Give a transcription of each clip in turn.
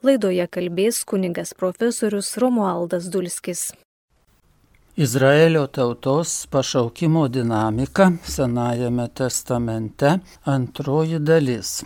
Laidoje kalbės kunigas profesorius Romualdas Dulskis. Izraelio tautos pašaukimo dinamika Senajame testamente, antroji dalis.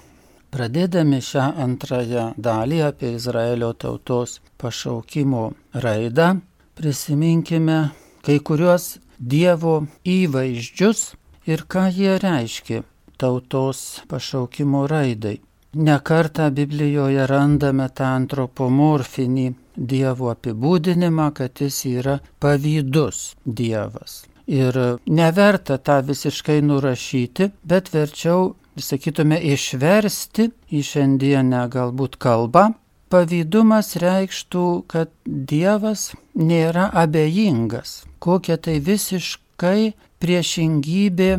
Pradėdami šią antrąją dalį apie Izraelio tautos pašaukimo raidą, prisiminkime kai kuriuos Dievo įvaizdžius ir ką jie reiškia tautos pašaukimo raidai. Ne kartą Biblijoje randame tą antropomorfinį Dievo apibūdinimą, kad jis yra pavydus Dievas. Ir neverta tą visiškai nurašyti, bet verčiau, sakytume, išversti į šiandienę galbūt kalbą. Pavydumas reikštų, kad Dievas nėra abejingas, kokia tai visiškai priešingybė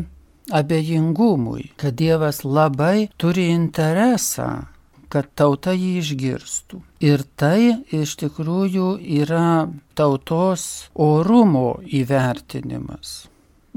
abejingumui, kad Dievas labai turi interesą, kad tauta jį išgirstų. Ir tai iš tikrųjų yra tautos orumo įvertinimas.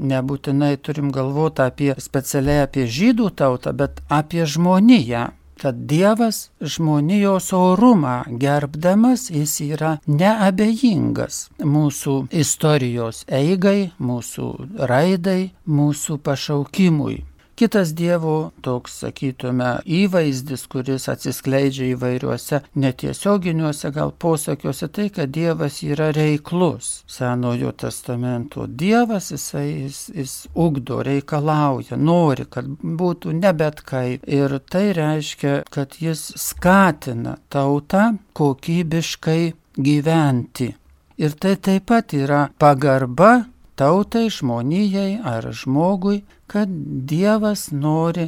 Nebūtinai turim galvoti specialiai apie žydų tautą, bet apie žmoniją. Kad Dievas žmonijos orumą gerbdamas, jis yra neabejingas mūsų istorijos eigai, mūsų raidai, mūsų pašaukimui. Kitas Dievo toks, sakytume, įvaizdis, kuris atsiskleidžia įvairiuose netiesioginiuose gal posakiuose, tai, kad Dievas yra reiklus. Senojo testamento Dievas, jis ugdo, reikalauja, nori, kad būtų ne bet kaip. Ir tai reiškia, kad jis skatina tautą kokybiškai gyventi. Ir tai taip pat yra pagarba tautai, žmonijai ar žmogui, kad Dievas nori,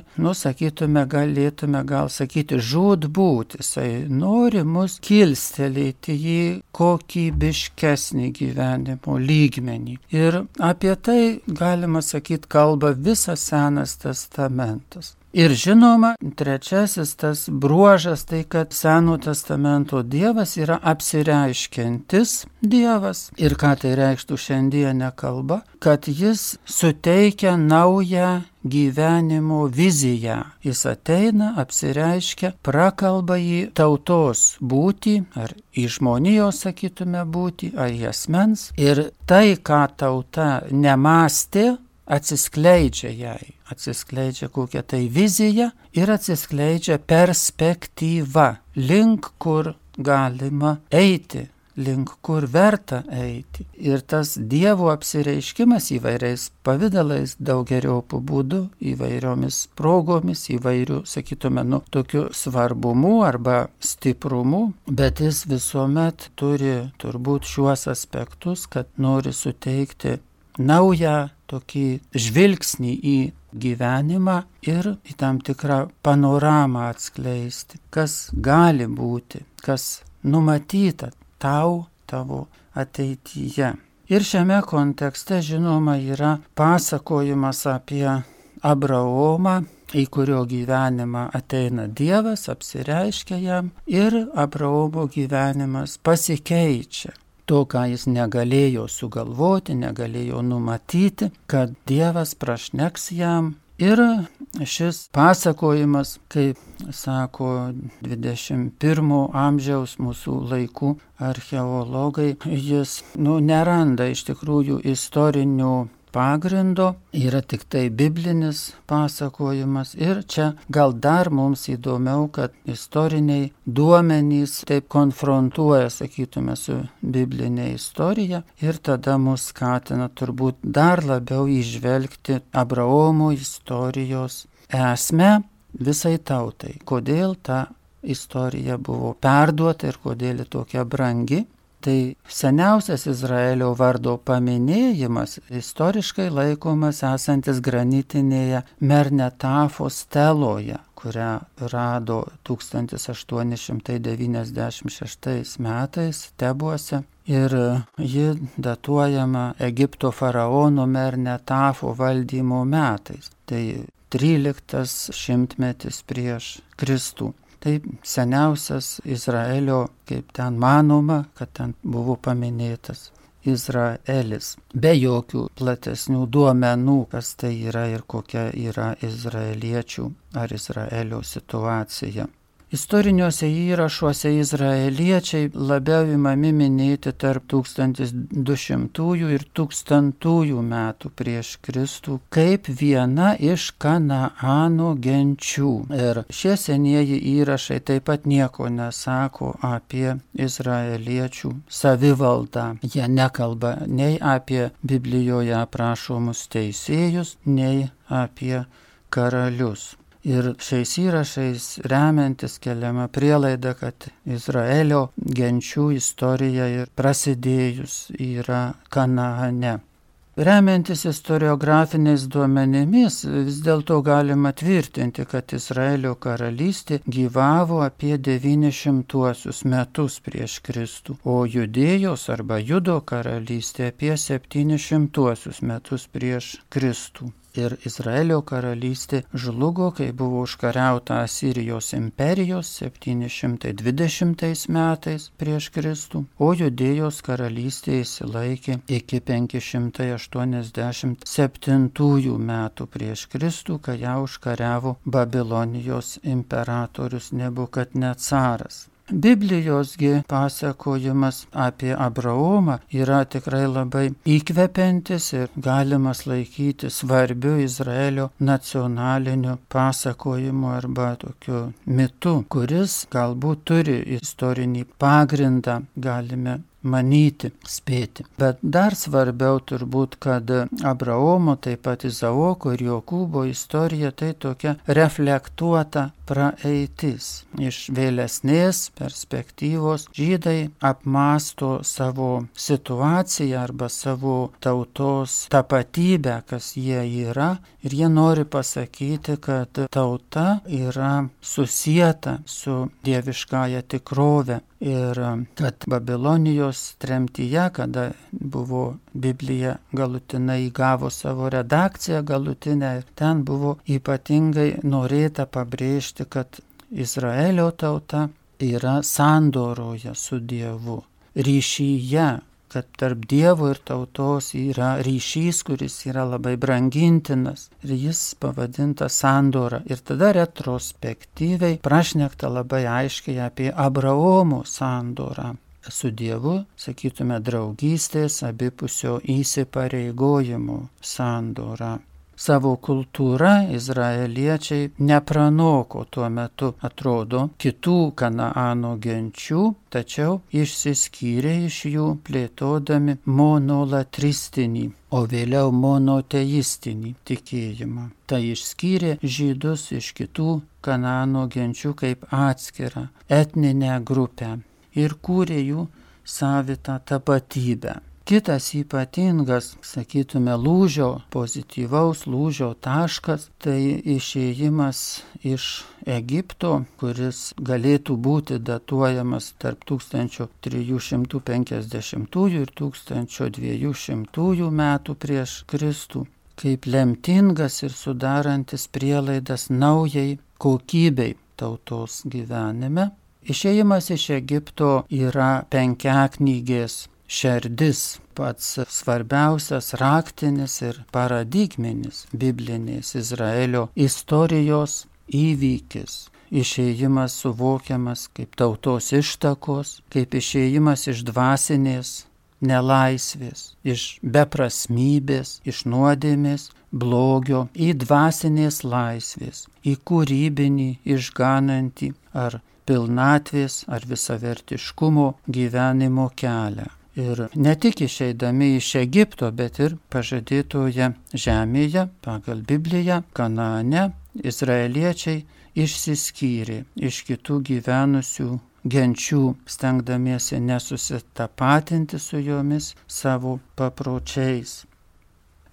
galėtume gal sakyti, žūtbūt, jisai nori mus kilstelėti į kokybiškesnį gyvenimo lygmenį. Ir apie tai, galima sakyti, kalba visas Senas testamentas. Ir žinoma, trečiasis tas bruožas, tai kad Seno testamento Dievas yra apsireiškiantis Dievas. Ir ką tai reikštų šiandienė kalba? Kad jis suteikia naują gyvenimo viziją. Jis ateina, apsireiškia, prakalba į tautos būtį, ar į žmonijos, sakytume, būtį, ar į asmens. Ir tai, ką tauta nemąstė, atsiskleidžia jai. Atsiskleidžia kokia tai vizija ir atsiskleidžia perspektyva, link kur galima eiti, link kur verta eiti. Ir tas Dievo apsireiškimas įvairiais pavidalais, daugeriopų būdų, įvairiomis progomis, įvairių, sakytume, tokiu svarbumu arba stiprumu, bet jis visuomet turi turbūt šiuos aspektus, kad nori suteikti naują tokį žvilgsnį į gyvenimą ir į tam tikrą panoramą atskleisti, kas gali būti, kas numatyta tavo ateityje. Ir šiame kontekste, žinoma, yra pasakojimas apie Abraomą, į kurio gyvenimą ateina Dievas, apsireiškia jam ir Abraomo gyvenimas pasikeičia. To, ką jis negalėjo sugalvoti, negalėjo numatyti, kad Dievas prašneks jam. Ir šis pasakojimas, kaip sako 21 amžiaus mūsų laikų archeologai, jis neranda iš tikrųjų istorinių pagrindo, yra tik tai biblinis pasakojimas. Ir čia gal dar mums įdomiau, kad istoriniai duomenys taip konfrontuoja, sakytume, su biblinė istorija ir tada mus skatina turbūt dar labiau įžvelgti Abraomo istorijos esmę visai tautai. Kodėl ta istorija buvo perduota ir kodėl tokia brangi. Tai seniausias Izraelio vardo paminėjimas istoriškai laikomas esantis granitinėje Mernetafo steloje, kurią rado 1896 metais Tebuose. Ir ji datuojama Egipto faraono Mernetafo valdymo metais. Tai 13 šimtmetis prieš Kristų. Tai seniausias Izraelio, kaip ten manoma, kad ten buvo paminėtas Izraelis. Be jokių platesnių duomenų, kas tai yra ir kokia yra izraeliečių ar Izraelio situacija. Istoriniuose įrašuose izraeliečiai labiau imami minėti tarp 1200 ir 1000 metų prieš Kristų kaip viena iš Kanaano genčių. Ir šie senieji įrašai taip pat nieko nesako apie izraeliečių savivaldą. Jie nekalba nei apie Biblijoje aprašomus teisėjus, nei apie karalius. Ir šiais įrašais remiantis keliama prielaida, kad Izraelio genčių istorija ir prasidėjus yra Kanaane. Remiantis istoriografiniais duomenimis, vis dėlto galima tvirtinti, kad Izraelio karalystė gyvavo apie 900 metus prieš Kristų, o Judėjos arba Judo karalystė apie 700 metus prieš Kristų. Ir Izraelio karalystė žlugo, kai buvo užkariauta Asirijos imperijos 720 metais prieš Kristų, o Judėjos karalystė išsilaikė iki 587 metų prieš Kristų, kai ją užkariavo Babilonijos imperatorius Nebukadnecaras. Biblijosgi pasakojimas apie Abraomą yra tikrai labai įkvepiantis ir galimas laikyti svarbiu Izraelio nacionaliniu pasakojimu arba tokiu mitu, kuris galbūt turi istorinį pagrindą, galime manyti, spėti. Bet dar svarbiau turbūt, kad Abraomo, taip pat Izaoko ir Jokūbo istorija tai tokia reflektuota praeitis. Iš vėlesnės perspektyvos žydai apmąsto savo situaciją arba savo tautos tapatybę, kas jie yra, ir jie nori pasakyti, kad tauta yra susieta su dieviškąja tikrove. Ir kad Babilonijos tremtyje, kada buvo Biblija galutinai įgavo savo redakciją galutinę, ten buvo ypatingai norėta pabrėžti, kad Izraelio tauta yra sandoroje su Dievu, ryšyje, kad tarp Dievo ir tautos yra ryšys, kuris yra labai brangintinas ir jis pavadintas sandora. Ir tada retrospektyviai prašnekta labai aiškiai apie Abraomo sandorą su Dievu, sakytume, draugystės, abipusio įsipareigojimo sandorą. Savo kultūrą izraeliečiai nepranoko tuo metu, atrodo, kitų Kanaano genčių, tačiau išsiskyrė iš jų plėtodami monolatristinį, o vėliau monoteistinį tikėjimą. Tai išskyrė žydus iš kitų Kanaano genčių kaip atskirą etninę grupę ir kūrė jų savitą tapatybę. Kitas ypatingas, sakytume, pozityvaus lūžio taškas, tai išėjimas iš Egipto, kuris galėtų būti datuojamas tarp 1350 ir 1200 metų prieš Kristų, kaip lemtingas ir sudarantis prielaidas naujai kokybei tautos gyvenime. Išėjimas iš Egipto yra penkiaknygės šerdis, pats svarbiausias raktinis ir paradigminis biblinės Izraelio istorijos įvykis. Išėjimas suvokiamas kaip tautos ištakos, kaip išėjimas iš dvasinės nelaisvės, iš beprasmybės, iš nuodėmės, blogio į dvasinės laisvės, į kūrybinį, išganantį ar pilnatvės ar visavertiškumo gyvenimo kelią. Ir ne tik išeidami iš Egipto, bet ir pažadėtoje žemėje, pagal Bibliją, Kanaane, izraeliečiai išsiskyrė iš kitų gyvenusių genčių, stengdamiesi nesusitapatinti su jomis savo papročiais.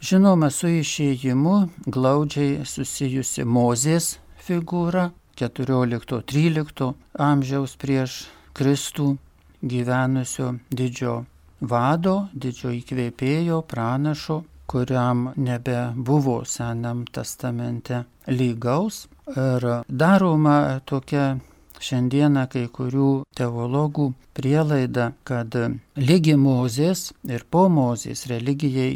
Žinoma, su išėjimu glaudžiai susijusi Mozės figūra 14-13 amžiaus prieš Kristų gyvenusio didžio vado, didžio įkvėpėjo, pranašo, kuriam nebebuvo Senam testamente lygaus. Ir daroma tokia šiandieną kai kurių teologų prielaida, kad lygi Mozės ir po Mozės religija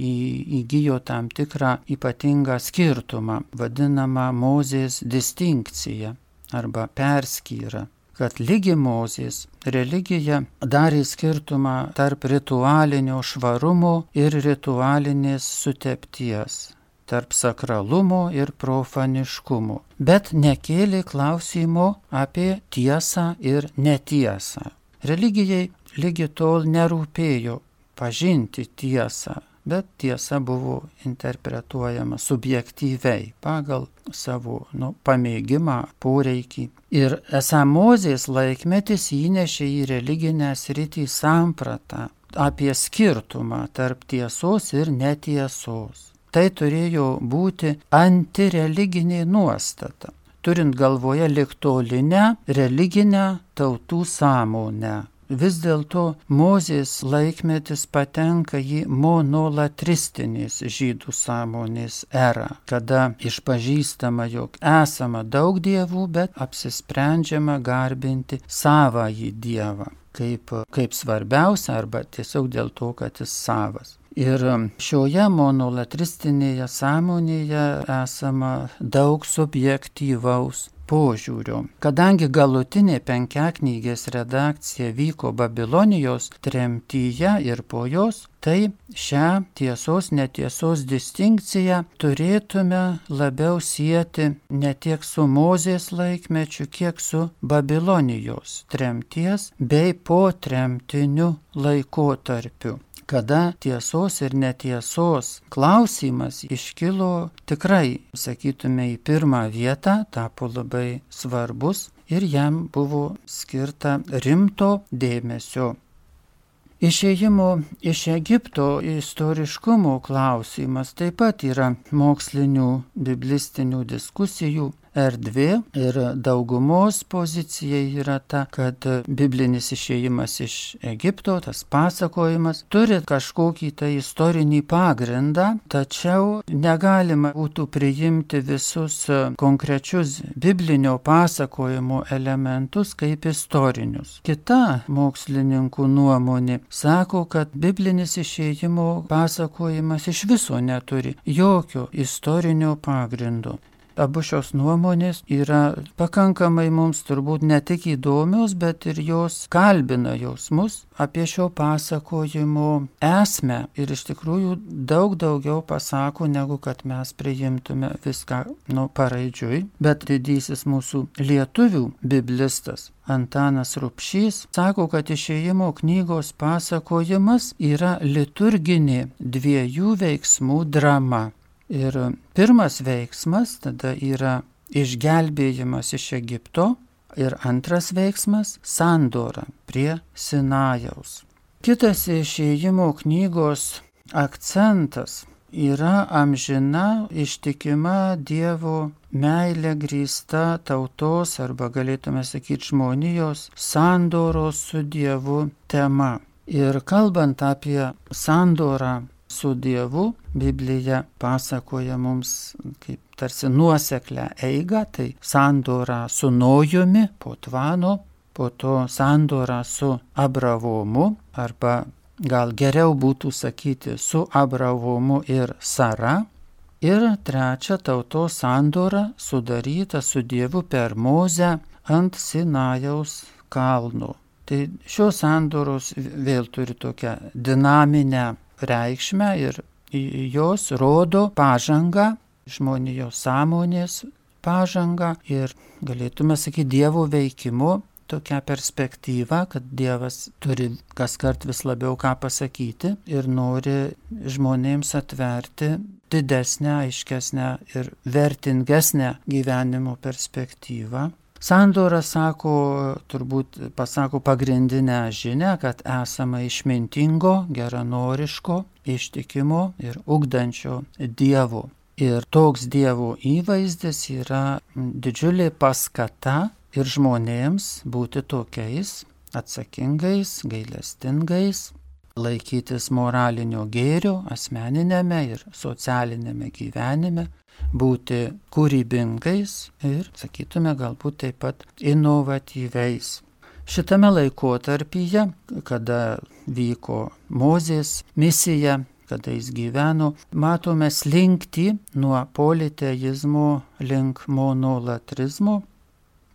įgijo tam tikrą ypatingą skirtumą, vadinamą Mozės distinkciją. arba perskyra, kad lygi Mozės religija darė skirtumą tarp ritualinio švarumo ir ritualinės sutepties, tarp sakralumo ir profaniškumo, bet nekėlė klausimo apie tiesą ir netiesą. Religijai lygi tol nerūpėjo pažinti tiesą, bet tiesa buvo interpretuojama subjektyviai pagal savo pamėgimą, poreikį. Ir esą Mozės laikmetis įnešė į religinę sritį sampratą apie skirtumą tarp tiesos ir netiesos. Tai turėjo būti antireliginė nuostata, turint galvoje ligtolinę religinę tautų sąmonę. Vis dėlto Mozės laikmetis patenka į monolatristinės žydų sąmonės erą, kada išpažįstama, jog esama daug dievų, bet apsisprendžiama garbinti savąjį dievą kaip svarbiausia arba tiesiog dėl to, kad jis savas. Ir šioje monolatristinėje sąmonėje esama daug subjektyvaus požiūrio. Kadangi galutinė penkiaknygės redakcija vyko Babilonijos tremtyje ir po jos, tai šią tiesos netiesos distinkciją turėtume labiau sieti ne tiek su Mozės laikmečiu, kiek su Babilonijos tremties bei po tremtiniu laikotarpiu, kada tiesos ir netiesos klausimas iškilo tikrai, sakytume, į pirmą vietą, tapo labai svarbus ir jam buvo skirta rimto dėmesio. Išėjimo iš Egipto istoriškumo klausimas taip pat yra mokslinių biblistinių diskusijų erdvė ir daugumos pozicija yra ta, kad biblinis išėjimas iš Egipto, tas pasakojimas, turi kažkokį tai istorinį pagrindą, tačiau negalima būtų priimti visus konkrečius biblinio pasakojimo elementus kaip istorinius. Kita mokslininkų nuomonė sako, kad biblinis išėjimo pasakojimas iš viso neturi jokio istorinio pagrindo. Abu šios nuomonės yra pakankamai mums turbūt ne tik įdomios, bet ir jos kalbina jausmus apie šio pasakojimo esmę ir iš tikrųjų daug daugiau pasako, negu kad mes priimtume viską paraidžiui. Bet didysis mūsų lietuvių biblistas Antanas Rubšys sako, kad Išėjimo knygos pasakojimas yra liturginė dviejų veiksmų drama. Ir pirmas veiksmas tada yra išgelbėjimas iš Egipto ir antras veiksmas – sandora prie Sinajaus. Kitas Išėjimo knygos akcentas yra amžina ištikima Dievo meilė grįsta tautos arba galėtume sakyti žmonijos sandoros su Dievu tema. Ir kalbant apie sandorą su Dievu, Biblija pasakoja mums kaip tarsi nuoseklę eigą, tai sandora su Nojumi po Tvano, po to sandora su Abravomu, arba gal geriau būtų sakyti su Abravomu ir Sara, ir trečia tautos sandora sudaryta su Dievu per Mozę ant Sinajaus kalno. Tai šios sandoros vėl turi tokią dinaminę reikšmę ir jos rodo pažangą, žmonijos sąmonės pažangą ir galėtume sakyti Dievo veikimo tokią perspektyvą, kad Dievas turi kaskart vis labiau ką pasakyti ir nori žmonėms atverti didesnę, aiškesnę ir vertingesnę gyvenimo perspektyvą. Sandora turbūt pasako pagrindinę žinią, kad esama išmintingo, geranoriško, ištikimo ir ugdančio Dievo. Ir toks Dievo įvaizdis yra didžiulė paskata ir žmonėms būti tokiais atsakingais, gailestingais, laikytis moralinio gėrio asmeninėme ir socialinėme gyvenime, būti kūrybingais ir, sakytume, galbūt taip pat inovatyviais. Šitame laikotarpyje, kada vyko Mozės misija, kada jis gyveno, matome slinktį nuo politeizmo link monolatrizmo.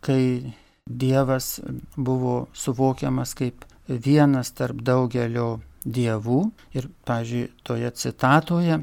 kai Dievas buvo suvokiamas kaip vienas tarp daugelio dievų. Ir, pavyzdžiui, toje citatoje: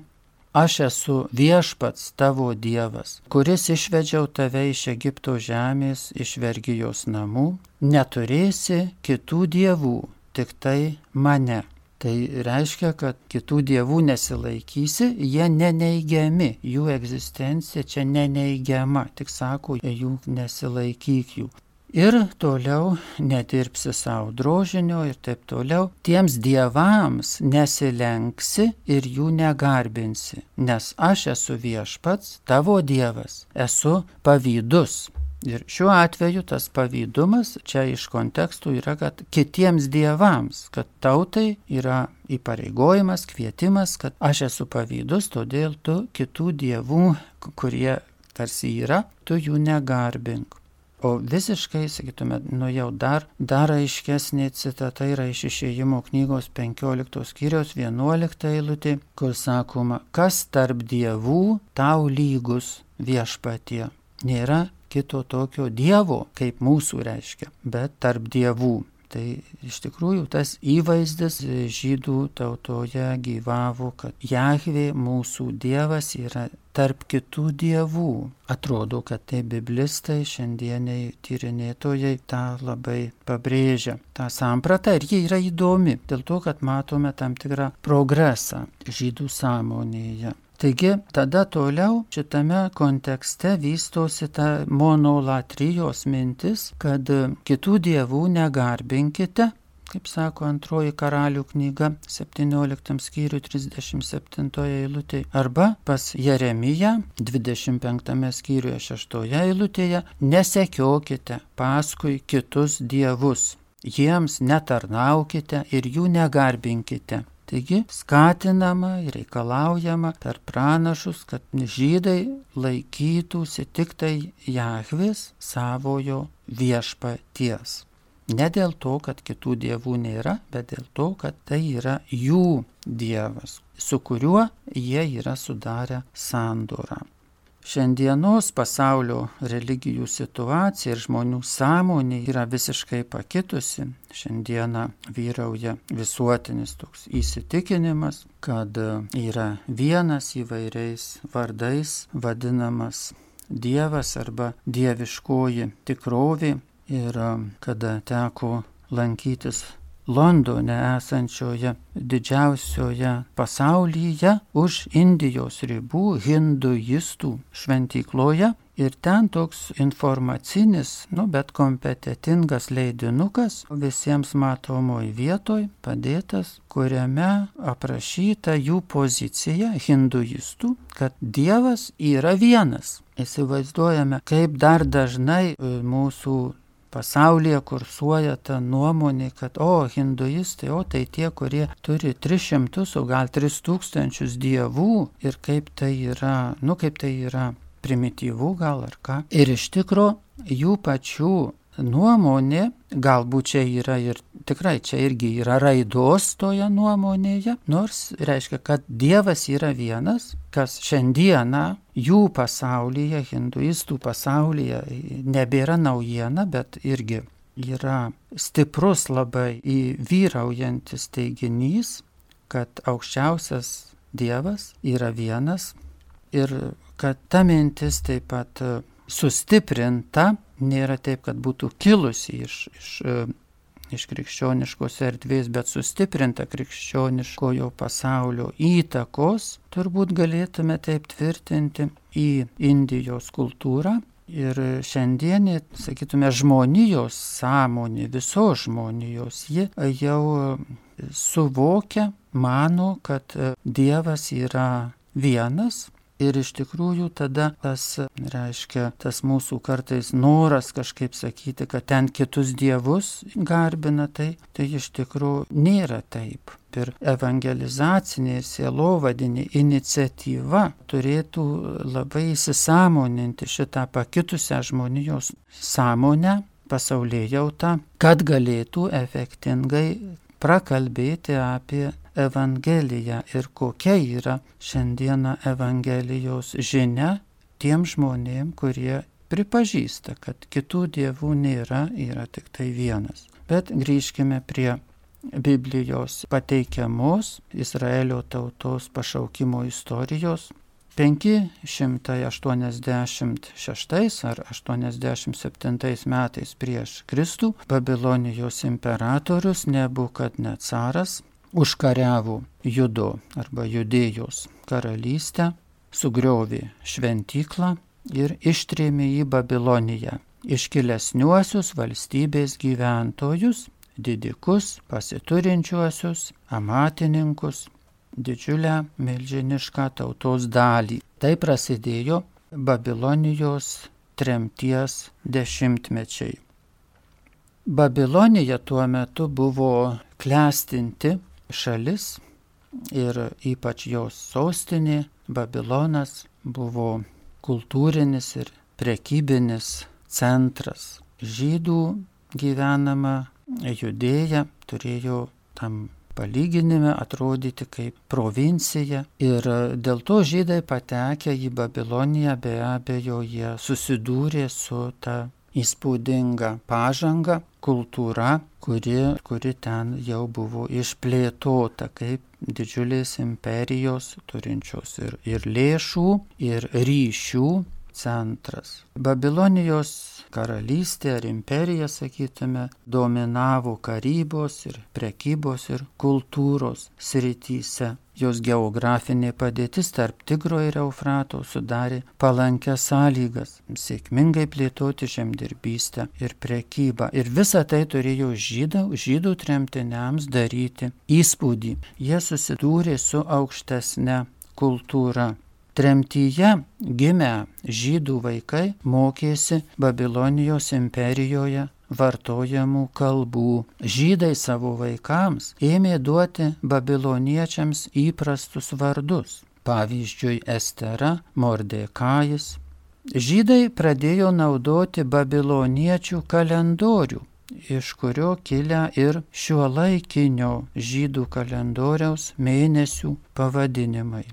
aš esu viešpats tavo Dievas, kuris išvedžiau tave iš Egipto žemės, iš vergijos namų, neturėsi kitų dievų, tik tai mane. Tai reiškia, kad kitų dievų nesilaikysi, jie neneigiami, jų egzistencija čia neneigiama, tik sako, jų nesilaikyk jų. Ir toliau nedirbsi savo drožinio ir taip toliau. Tiems dievams nesilenksi ir jų negarbinsi, nes aš esu viešpats, tavo Dievas, esu pavydus. Ir šiuo atveju tas pavydumas čia iš kontekstų yra, kad kitiems dievams, kad tautai yra įpareigojimas, kvietimas, kad aš esu pavydus, todėl tu kitų dievų, kurie tarsi yra, tu jų negarbink. O visiškai, sakytume, jau dar aiškesnė citata yra iš Išėjimo knygos 15 skyriaus 11 eilutė, kur sakoma: kas tarp dievų tau lygus, viešpatie? Nėra kito tokio dievo, kaip mūsų reiškia, bet tarp dievų. Tai iš tikrųjų tas įvaizdis žydų tautoje gyvavo, kad Jahvė, mūsų Dievas, yra tarp kitų dievų. Atrodo, kad tai biblistai, šiandieniai tyrinėtojai tą labai pabrėžia. Ta samprata, ir ji yra įdomi, dėl to, kad matome tam tikrą progresą žydų sąmonėje. Taigi, tada toliau šitame kontekste vystosi ta monolatrijos mintis, kad kitų dievų negarbinkite, kaip sako Antroji Karalių knyga 17 skyrių 37 eilutėje, arba pas Jeremiją 25 skyriuje 6 eilutėje: nesekiokite paskui kitus dievus, jiems netarnaukite ir jų negarbinkite. Taigi skatinama ir reikalaujama per pranašus, kad žydai laikytųsi tik tai Jahvės, savojo viešpaties. Ne dėl to, kad kitų dievų nėra, bet dėl to, kad tai yra jų Dievas, su kuriuo jie yra sudarę sandorą. Šiandienos pasaulio religijų situacija ir žmonių sąmonė yra visiškai pakitusi. Šiandieną vyrauja visuotinis toks įsitikinimas, kad yra vienas įvairiais vardais vadinamas Dievas arba dieviškoji tikrovė. Ir kada teko lankytis Londone esančioje didžiausioje pasaulyje už Indijos ribų hinduistų šventykloje, ir ten toks informacinis, bet kompetitingas leidinukas visiems matomoj vietoj padėtas, kuriame aprašyta jų pozicija hinduistų, kad Dievas yra vienas. Įsivaizduojame, kaip dar dažnai mūsų pasaulyje kursuoja ta nuomonė, kad hinduistai, tai tie, kurie turi 300, o gal 3000 dievų, ir kaip tai yra primityvų gal ar ką. Ir iš tikro jų pačių nuomonė, galbūt čia yra ir tikrai čia irgi yra raidos toje nuomonėje, nors reiškia, kad Dievas yra vienas, kas šiandieną jų pasaulyje, hinduistų pasaulyje nebėra naujiena, bet irgi yra stiprus labai vyraujantis teiginys, kad aukščiausias Dievas yra vienas, ir kad ta mintis taip pat sustiprinta, nėra taip, kad būtų kilusi iš krikščioniškos erdvės, bet sustiprinta krikščioniškojo pasaulio įtakos, turbūt galėtume taip tvirtinti, į Indijos kultūrą. Ir šiandienė, sakytume, žmonijos sąmonė, visos žmonijos, ji jau suvokia, mano, kad Dievas yra vienas. Ir iš tikrųjų tada tas mūsų kartais noras kažkaip sakyti, kad ten kitus dievus garbina, tai iš tikrųjų nėra taip. Ir evangelizacinė ir sielovadinė iniciatyva turėtų labai įsisąmoninti šitą pakitusią žmonijos sąmonę, pasaulėjautą, kad galėtų efektingai prakalbėti apie Evangeliją ir kokia yra šiandieną Evangelijos žinia tiem žmonėm, kurie pripažįsta, kad kitų dievų nėra, yra tik tai vienas. Bet grįžkime prie Biblijos pateikiamos Izraelio tautos pašaukimo istorijos. 586 ar 87 metais prieš Kristų Babilonijos imperatorius Nebukadnecaras užkariavo Judo arba Judėjos karalystę, sugriovė šventyklą ir ištrėmė į Babiloniją iškilesniuosius valstybės gyventojus, didikus, pasiturinčiuosius, amatininkus, didžiulę milžinišką tautos dalį. Tai prasidėjo Babilonijos tremties dešimtmečiai. Babilonija tuo metu buvo klestinti šalis ir ypač jos sostinė Babilonas buvo kultūrinis ir prekybinis centras. Žydų gyvenama Judėja turėjo tam palyginime atrodyti kaip provincija ir dėl to žydai patekę į Babiloniją be abejo jie susidūrė su ta įspūdinga pažanga, kultūra, kuri ten jau buvo išplėtota kaip didžiulės imperijos turinčios ir lėšų, ir ryšių centras. Babilonijos karalystė ar imperija, sakytume, dominavo karybos ir prekybos ir kultūros srityse. Jos geografinė padėtis tarp Tigro ir Eufrato sudarė palankias sąlygas sėkmingai plėtoti žemdirbystę ir prekybą. Ir visa tai turėjo žydų tremtiniams daryti įspūdį. Jie susidūrė su aukštesne kultūra. Tremtyje gimę žydų vaikai mokėsi Babilonijos imperijoje vartojamų kalbų. Žydai savo vaikams ėmė duoti babiloniečiams įprastus vardus. Pavyzdžiui, Estera, Mordekajus. Žydai pradėjo naudoti babiloniečių kalendorių, iš kurio kilę ir šiuolaikinio žydų kalendoriaus mėnesių pavadinimai.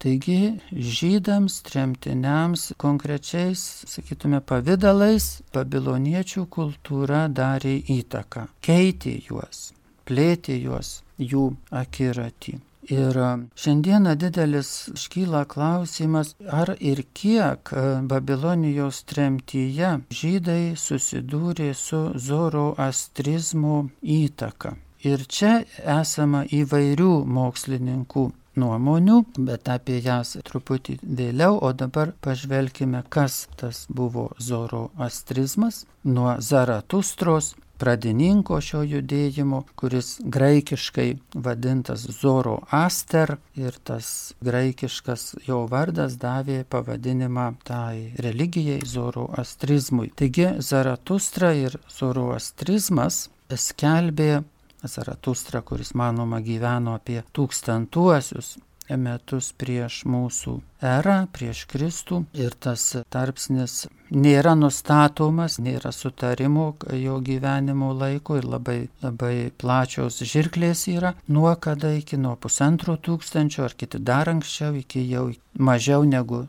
Taigi žydams, tremtiniams konkrečiais, sakytume, pavidalais babiloniečių kultūra darė įtaką, keitė juos, plėtė juos jų akiratį. Ir šiandieną didelis iškyla klausimas, ar ir kiek Babilonijos tremtyje žydai susidūrė su zoroastrizmo įtaka. Ir čia esama įvairių mokslininkų nuomonių, bet apie jas truputį vėliau, o dabar pažvelkime, kas tas buvo zoroastrizmas. Nuo Zaratustros, pradininko šio judėjimo, kuris graikiškai vadintas Zoroaster, ir tas graikiškas jo vardas davė pavadinimą tai religijai zoroastrizmui. Taigi Zaratustra ir zoroastrizmas skelbė, Zaratustra, kuris manoma gyveno apie 1000 metus prieš mūsų erą, prieš Kristų, ir tas tarpsnis nėra nustatomas, nėra sutarimo jo gyvenimo laiko ir labai plačios žirklės yra, nuo kada iki nuo 1500 ar kiti dar anksčiau, iki jau mažiau negu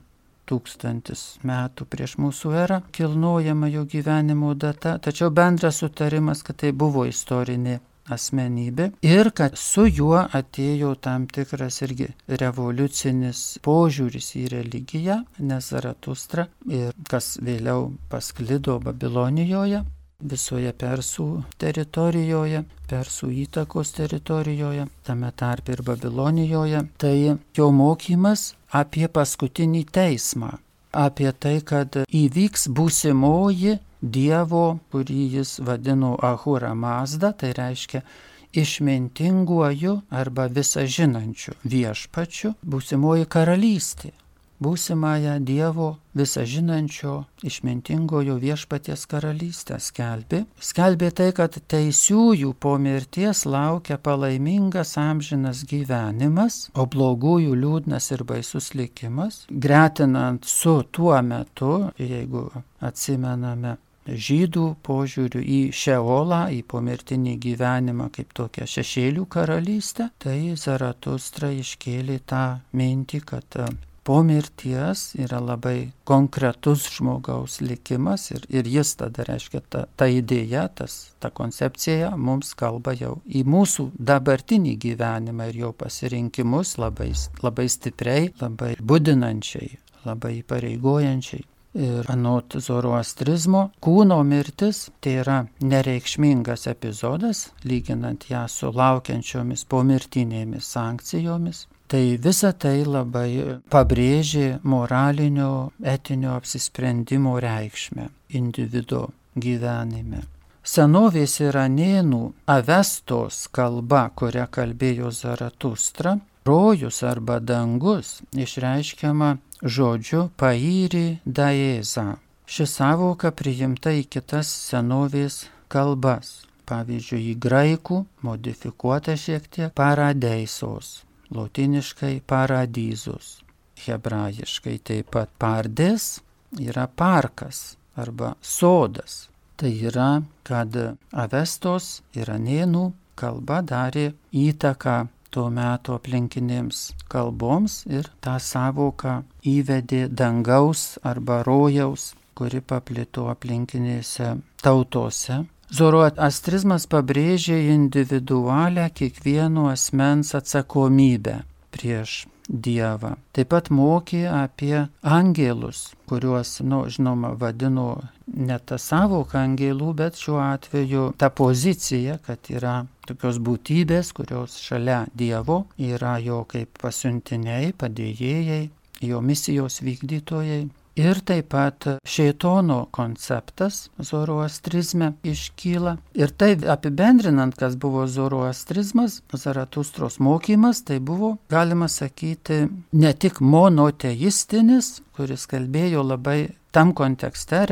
1000 metų prieš mūsų erą kilnojama jo gyvenimo data, tačiau bendras sutarimas, kad tai buvo istorinė asmenybė ir kad su juo atėjo tam tikras irgi revoliucinis požiūris į religiją, nes Zaratustra, ir kas vėliau pasklido Babilonijoje, visoje Persų teritorijoje, Persų įtakos teritorijoje, tame tarpe ir Babilonijoje, tai jo mokymas apie paskutinį teismą, apie tai, kad įvyks būsimoji Dievo, kurį jis vadino Ahura Mazda, tai reiškia išmintinguoju arba visažinančiu viešpačiu, būsimoji karalystė. Būsimąją Dievo visažinančio išmintingojo viešpaties karalystę skelbė tai, kad teisiųjų po mirties laukia palaimingas amžinas gyvenimas, o blogųjų liūdnas ir baisus likimas, gretinant su tuo metu, jeigu atsimename žydų požiūrių į Šeolą, į pomirtinį gyvenimą kaip tokią šešėlių karalystę, tai Zaratustra iškėlė tą mintį, kad po mirties yra labai konkretus žmogaus likimas ir jis tada reiškia ta idėja, ta koncepcija mums kalba jau į mūsų dabartinį gyvenimą ir jo pasirinkimus labai stipriai, labai budinančiai, labai įpareigojančiai. Ir anot zoroastrizmo, kūno mirtis tai yra nereikšmingas epizodas, lyginant ją su laukiančiomis pomirtinėmis sankcijomis. Tai visa tai labai pabrėžė moralinio, etinio apsisprendimo reikšmę individo gyvenime. Senovės iranėnų Avestos kalba, kuria kalbėjo Zaratustra, rojus arba dangus išreiškiama žodžiu pairi daeza. Ši savoka priimta į kitas senovės kalbas, pavyzdžiui, į graikų, modifikuota šiek tiek paradeisos, lotiniškai paradizus, hebrajiškai taip pat pardes yra parkas arba sodas. Tai yra, kad Avestos iranėnų kalba darė įtaką tuo metu aplinkinėms kalboms ir tą savoką įvedė dangaus arba rojaus, kuri paplito aplinkinėse tautose. Zoroastrizmas pabrėžė individualią kiekvieno asmens atsakomybę prieš Dievą. Taip pat mokė apie angelus, kuriuos, žinoma, vadino ne tą savoką angelų, bet šiuo atveju ta pozicija, kad yra tokios būtybės, kurios šalia Dievo yra jo kaip pasiuntiniai, padėjėjai, jo misijos vykdytojai. Ir taip pat šėtono konceptas zoroastrizme iškyla. Ir tai apibendrinant, kas buvo zoroastrizmas, Zaratustros mokymas, tai buvo, galima sakyti, ne tik monoteistinis, kuris kalbėjo labai tam kontekste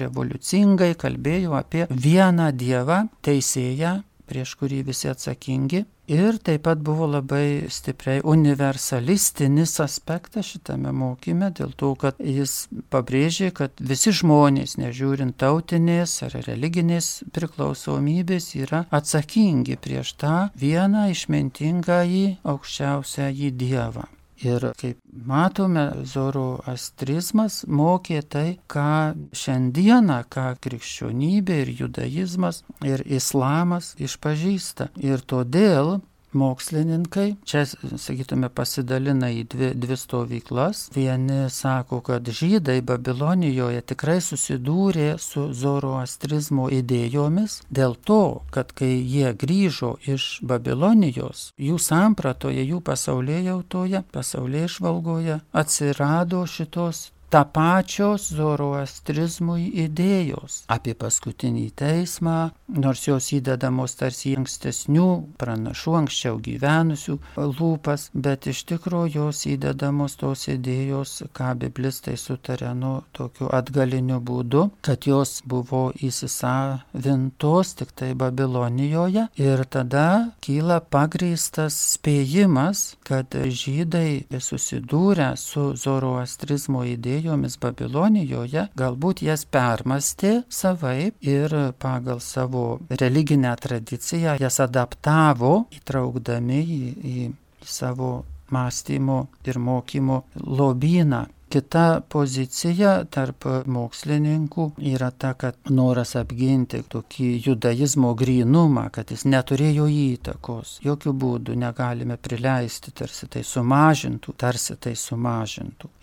revoliucingai kalbėjo apie vieną Dievą, teisėją, prieš kurį visi atsakingi. Ir taip pat buvo labai stipriai universalistinis aspektas šitame mokyme, dėl to, kad jis pabrėžė, kad visi žmonės, nežiūrint tautinės ar religinės priklausomybės, yra atsakingi prieš tą vieną išmintingąjį aukščiausiąjį Dievą. Ir kaip matome, zoroastrizmas mokė tai, ką šiandieną, ką krikščionybė ir judaizmas ir islamas išpažįsta. Ir todėl mokslininkai čia, sakytume, pasidalina į dvi stovyklas. Vieni sako, kad žydai Babilonijoje tikrai susidūrė su zoroastrizmo idėjomis dėl to, kad kai jie grįžo iš Babilonijos, jų sampratoje, jų pasaulėjautoje, pasaulėžvalgoje atsirado šitos tapačios zoroastrizmui idėjos apie paskutinį teismą, nors jos įdedamos tarsi ankstesnių pranašų, anksčiau gyvenusių lūpas, bet iš tikrųjų jos įdedamos tos idėjos, ką biblistai sutarė tokiu atgaliniu būdu, kad jos buvo įsisavintos tik tai Babilonijoje ir tada kyla pagrįstas spėjimas, kad žydai susidūrę su zoroastrizmo idėjomis Babilonijoje, galbūt jas permastė savaip ir pagal savo religinę tradiciją jas adaptavo, įtraukdami į savo mąstymo ir mokymo lobyną. Kita pozicija tarp mokslininkų yra ta, kad noras apginti tokį judaizmo grynumą, kad jis neturėjo įtakos. Jokių būdų negalime prileisti, tarsi tai sumažintų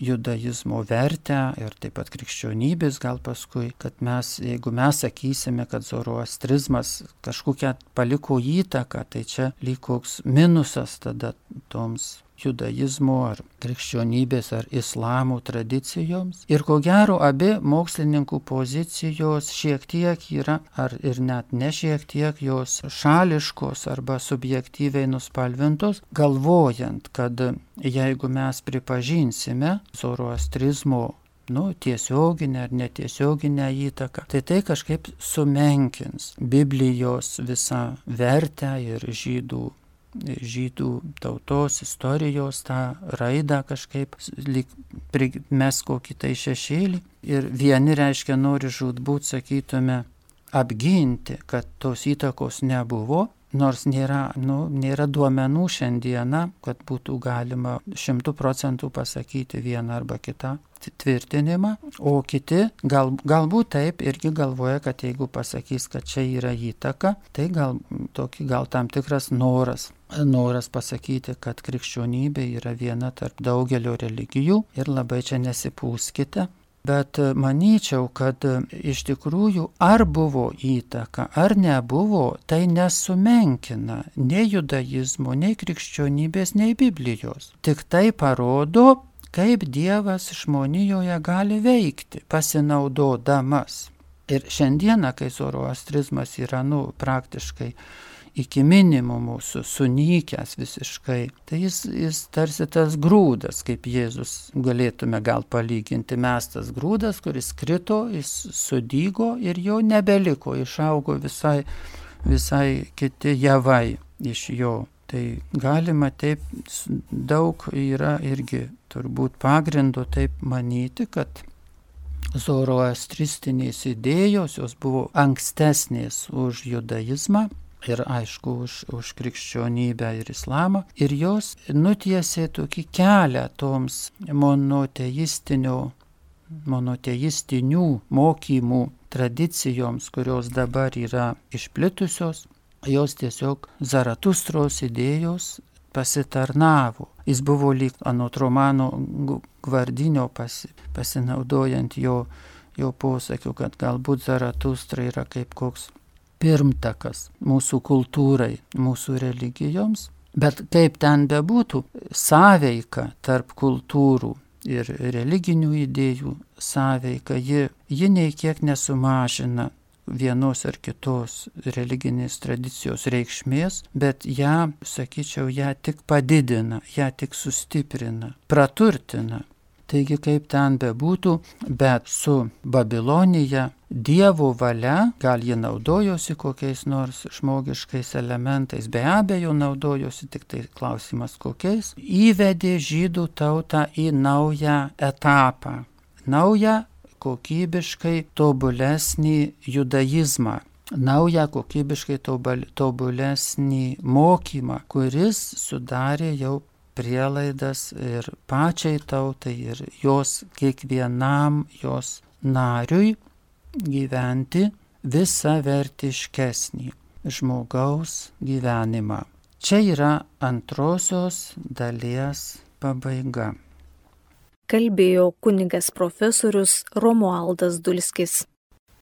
judaizmo vertę ir taip pat krikščionybės gal paskui, kad jeigu mes sakysime, kad zoroastrizmas kažkokią paliko įtaką, tai čia lyg koks minusas tada toms judaizmo ar krikščionybės ar islamo tradicijoms. Ir ko gero, abi mokslininkų pozicijos šiek tiek yra, ar ir net ne šiek tiek, jos šališkos arba subjektyviai nuspalvintos, galvojant, kad jeigu mes pripažinsime zoroastrizmo tiesioginę ar netiesioginę įtaką, tai kažkaip sumenkins Biblijos visą vertę ir žydų tautos, istorijos tą raidą kažkaip lyg primes kokį tai šešėlį. Ir vieni nori žūtbūt, sakytume, apginti, kad tos įtakos nebuvo, nors nėra duomenų šiandieną, kad būtų galima 100% pasakyti vieną arba kitą tvirtinimą, o kiti galbūt taip irgi galvoja, kad jeigu pasakys, kad čia yra įtaka, tai gal tam tikras noras pasakyti, kad krikščionybė yra viena tarp daugelio religijų ir labai čia nesipūskite. Bet manyčiau, kad iš tikrųjų ar buvo įtaka, ar nebuvo, tai nesumenkina nei judaizmo, nei krikščionybės, nei Biblijos. Tik tai parodo, kaip Dievas žmonijoje gali veikti, pasinaudodamas. Ir šiandieną, kai zoroastrizmas yra praktiškai iki minimumo sunykęs visiškai, tai jis tarsi tas grūdas, kaip Jėzus galėtume gal palyginti, mestas grūdas, kuris krito, jis sudygo ir jo nebeliko, išaugo visai kiti javai iš jo. Tai galima taip, daug yra irgi turbūt pagrindo taip manyti, kad zoroastristinės idėjos, jos buvo ankstesnės už judaizmą ir aišku už krikščionybę ir islamą, ir jos nutiesė tokį kelią toms monoteistinių mokymų tradicijoms, kurios dabar yra išplitusios. Jos tiesiog Zaratustros idėjos pasitarnavo. Jis buvo lyg anot Romano Gvardinio pasinaudojant jo posakiu, kad galbūt Zaratustra yra kaip koks pirmtakas mūsų kultūrai, mūsų religijoms. Bet kaip ten bebūtų, sąveika tarp kultūrų ir religinių idėjų sąveika, ji nei kiek nesumažina vienos ar kitos religinės tradicijos reikšmės, bet ją tik padidina, ją tik sustiprina, praturtina. Taigi, kaip ten bebūtų, bet su Babilonija Dievo valia, gal ji naudojosi kokiais nors žmogiškais elementais, be abejo naudojosi, tik tai klausimas kokiais, įvedė žydų tautą į naują etapą, naują kokybiškai tobulesnį judaizmą, naują kokybiškai tobulesnį mokymą, kuris sudarė jau prielaidas ir pačiai tautai, ir jos kiekvienam jos nariui gyventi visavertiškesnį žmogaus gyvenimą. Čia yra antrosios dalies pabaiga. Kalbėjo kunigas profesorius Romualdas Dulskis.